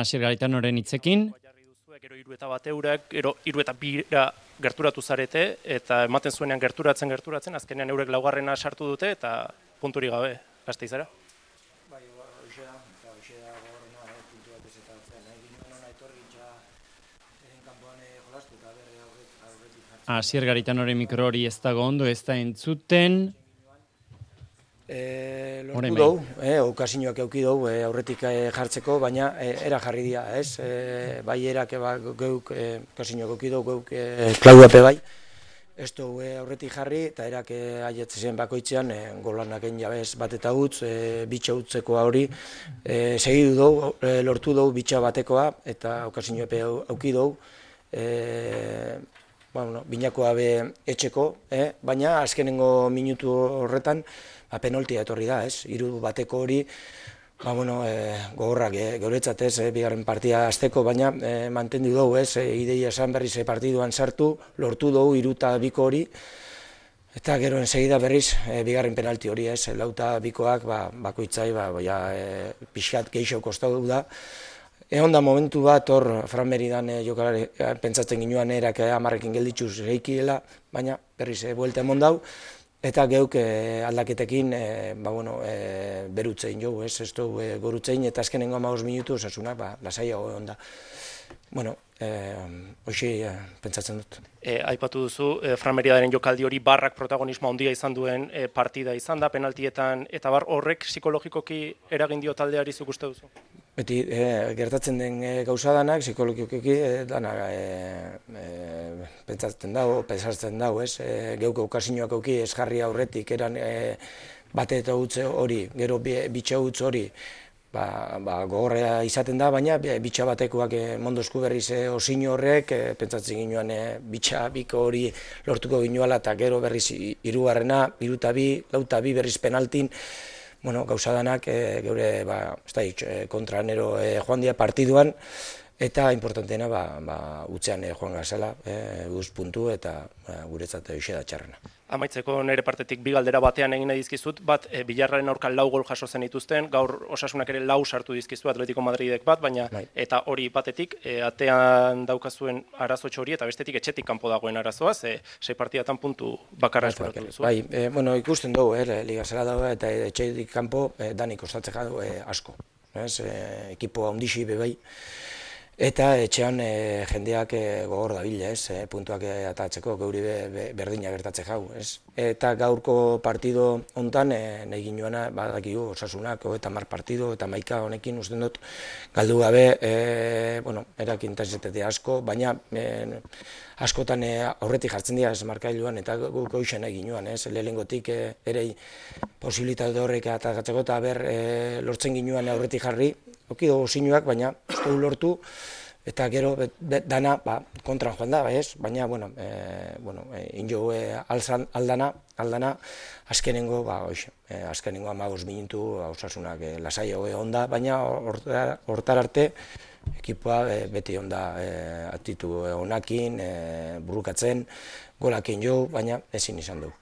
Asier Garitanoren hitzekin. Gero 3 eta 1 eurek, gero 3 eta 2 gerturatu zarete, eta ematen zuenean gerturatzen, azkenean eurek laugarrena sartu dute, eta punturik gabe, Gasteizera. Bai, hoxe da gogorrena, puntu bat ez eta nahi ginen hona etorri ja kanpoan jolastu eta berre aurretik jartzen. Asier Garitanoren mikro hori ez dago ondo, ez da entzuten. Lortu dugu, okazioak euki dugu aurretik jartzeko, baina era jarri dira, ez? Bai erak geuk okazioak euki dugu, geuk klauape bai. Ez dugu aurretik jarri, eta erak aietzen bakoitzean, golanak egin jabez bat eta utz, bitxa utzekoa hori, segidu dugu, lortu dugu bitxa batekoa, eta okazioak euki dugu, binakoa be etxeko, baina azkenengo minutu horretan, penaltia etorri da, ez? 3-bateko hori, gogorrak, geuretzat ez, bigarren partia azteko, baina mantendu dugu, ez? Ideia esan berriz partiduan sartu, lortu dugu 3-2 hori, eta gero ensegida berriz bigarren penalti hori, ez? 4-2koak bakoitzai, pixkat geixo kostatu da. Egon da momentu bat, hor, Fran Meridan jokalari pentsatzen ginoan erak 10ekin gelditxuz reikiela, baina berriz buelta emon dau, eta geuk aldaketekin berutzein jo, ez dugu gorutzein, eta azkenengo 15 minutu osasunak lasaiago egon da. Hoxe pentsatzen dut. Aipatu duzu, Fran Meriadaren jokaldi hori barrak protagonismo handia izan duen partida izan da, penaltietan, eta horrek psikologikoki eragin dio taldeari zuk uste duzu? Beti, gertatzen den gauza danak, psikologikoki danak pentsatzen dago, pesartzen dago, ez? Geuk okazioak auki ez jarri aurretik, eran bate eta utze hori, gero bitxa utz hori, gogorrea izaten da, baina bitxa batekoak mondozku berriz osino horrek, pentsatzen ginoan bitxa biko hori lortuko ginoala, eta gero berriz 3garrena, 3-2, 4-2 berriz penaltin, gauza danak geure kontra nero joan dira partiduan, eta importanteena utzean joan gazela, guz puntu eta guretzat hoxe da txarrena. Amaitzeko nire partetik 2 galdera batean egin nahi dizkizut, bat Bilarraren aurka 4 gol jaso zen dituzten, gaur Osasunak ere 4 sartu dizkizu, Atletico Madridek bat, baina eta hori batetik, atean daukazuen arazotxo hori, eta bestetik etxetik kanpo dagoen arazoa, 6 partidatan puntu bakarra eskuratu duzu. Bai, ikusten dugu, liga zela dago, eta etxetik kanpo danik ostatze jau asko. Ekipo handixi bebai. Eta etxean jendeak gogor dabile, puntuak atatzeko, geuri berdina gertatze jau. Eta gaurko partido hontan, nahi ginoana, badakigu, Osasunak, 30 partido, eta 11 honekin usten dut, galdu gabe, erak intensitate asko, baina askotan aurretik jartzen dira markailuan, eta guk hoxen nahi ginoan, lehenengotik ere posibilitate horrek atatzeko, eta lortzen ginoan aurretik jarri, oki dugu sinuak, baina ez dugu lortu, eta gero dana kontran joan da, baina, injo aldana, azkenengo, azkenengo 15 minutu Osasunak lasaio egon da, baina hortar arte, ekipoa beti egon da atitu honakin, burukatzen, golakin jo, baina ezin izan dugu.